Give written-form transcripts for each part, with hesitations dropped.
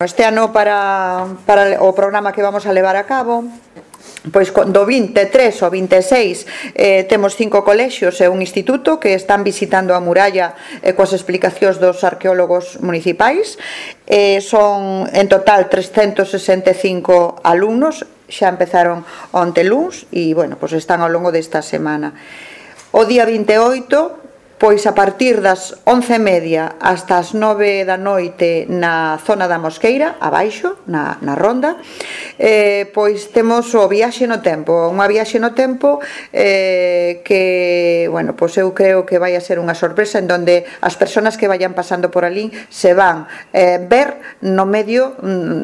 Este ano para o programa que vamos a levar a cabo, pois do 23 ao 26 temos 5 colexios e un instituto que están visitando a muralla coas explicacións dos arqueólogos municipais. Son en total 365 alumnos, xa empezaron onte luns e, bueno, pois están ao longo desta semana. O día 28, pois a partir das 11:30 hasta as 9 da noite na zona da Mosqueira, abaixo, na ronda, pois temos o viaxe no tempo, unha viaxe no tempo que, bueno, pois eu creo que vai a ser unha sorpresa en donde as persoas que vayan pasando por alí se van ver no medio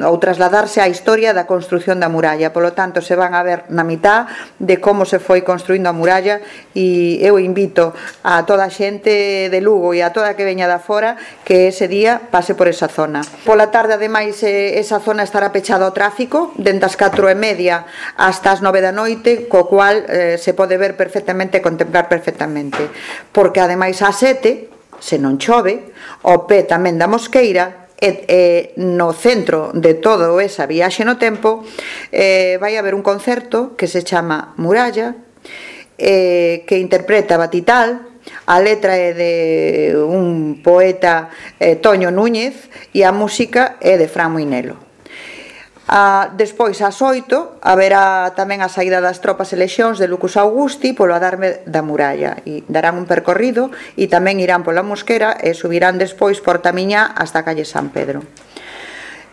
ou trasladarse á historia da construción da muralla, polo tanto se van a ver na mitad de como se foi construindo a muralla e eu invito a toda a xente de Lugo e a toda que veña da fora que ese día pase por esa zona. Pola tarde, ademais, esa zona estará pechada ao tráfico dende as 4:30 hasta as 9 da noite, co cual se pode ver perfectamente e contemplar perfectamente, porque ademais ás 7, se non chove, ao pé tamén da Mosqueira, no centro de todo esa viaxe no tempo, vai haber un concerto que se chama Muralla, que interpreta Batital. A letra é de un poeta, Toño Núñez, e a música é de Fran Moinelo. Despois, ás 8, haberá tamén a saída das tropas e lexións de Lucus Augusti polo adarme da muralla, e darán un percorrido e tamén irán pola Mosquera e subirán despois por Tamiñá hasta a calle San Pedro.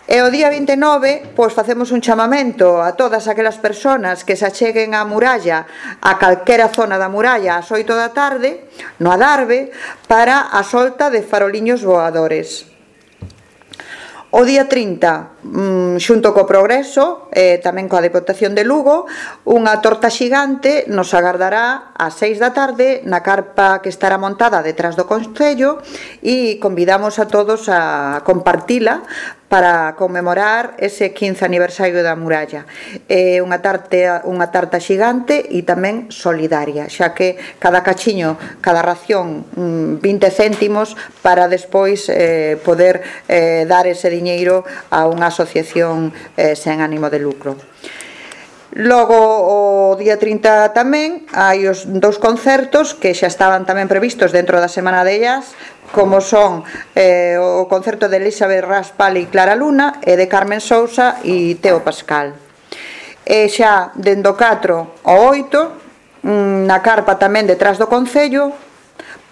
E o día 29, pois facemos un chamamento a todas aquelas persoas que se acheguen á muralla, a calquera zona da muralla, ás 8 da tarde, no Adarve, para a solta de faroliños voadores. O día 30, xunto co Progreso, tamén coa Deputación de Lugo, unha torta xigante nos agardará ás 6 da tarde na carpa que estará montada detrás do Concello e convidamos a todos a compartila para conmemorar ese 15 aniversario da muralla. É unha tarta xigante e tamén solidaria, xa que cada cachiño, cada ración, 20 céntimos para despois poder dar ese diñeiro a unha asociación sen ánimo de lucro. Logo, o día 30 tamén hai os 2 concertos que xa estaban tamén previstos dentro da Semana de Jazz, como son o concerto de Elizabeth Raspal e Clara Luna e de Carmen Sousa e Teo Pascal. E xa dende o 4 ao 8 na carpa tamén detrás do Concello,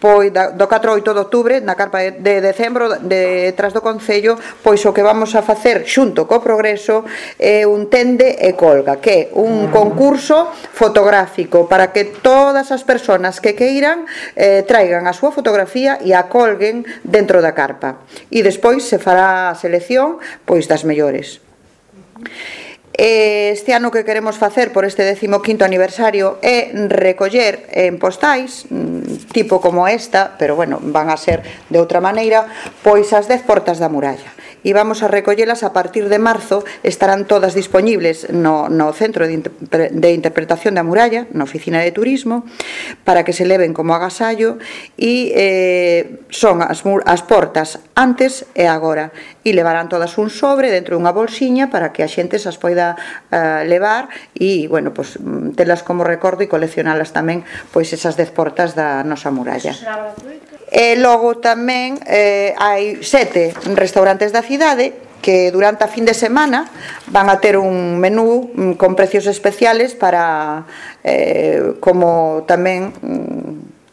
pois do 4 ao 8 de outubro na carpa de decembro detrás do Concello, pois o que vamos a facer xunto co Progreso é un tende e colga, que é un concurso fotográfico para que todas as persoas que queiran traigan a súa fotografía e a colguen dentro da carpa, e despois se fará a selección pois das mellores. Este ano que queremos facer por este 15º aniversario é recoller en postais, tipo como esta, pero bueno, van a ser de outra maneira, pois as 10 portas da muralla. E vamos a recollelas a partir de marzo, estarán todas dispoñibles no Centro de Interpretación da Muralla, na Oficina de Turismo, para que se leven como agasallo, e son as portas antes e agora, e levarán todas un sobre dentro dunha bolsiña para que a xente as poida levar e, bueno, pois telas como recordo e coleccionalas tamén, pois esas 10 portas da nosa muralla. E logo tamén hai 7 restaurantes da cidade que durante a fin de semana van a ter un menú con precios especiales para como tamén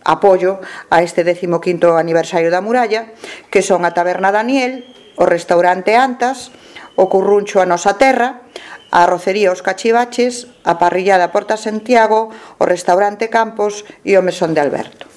apoio a este 15º aniversario da muralla, que son a Taberna Daniel, o restaurante Antas, o Curruncho A Nosa Terra, a Arrocería Os Cachivaches, a Parrillada Porta Santiago, o restaurante Campos e o Mesón de Alberto.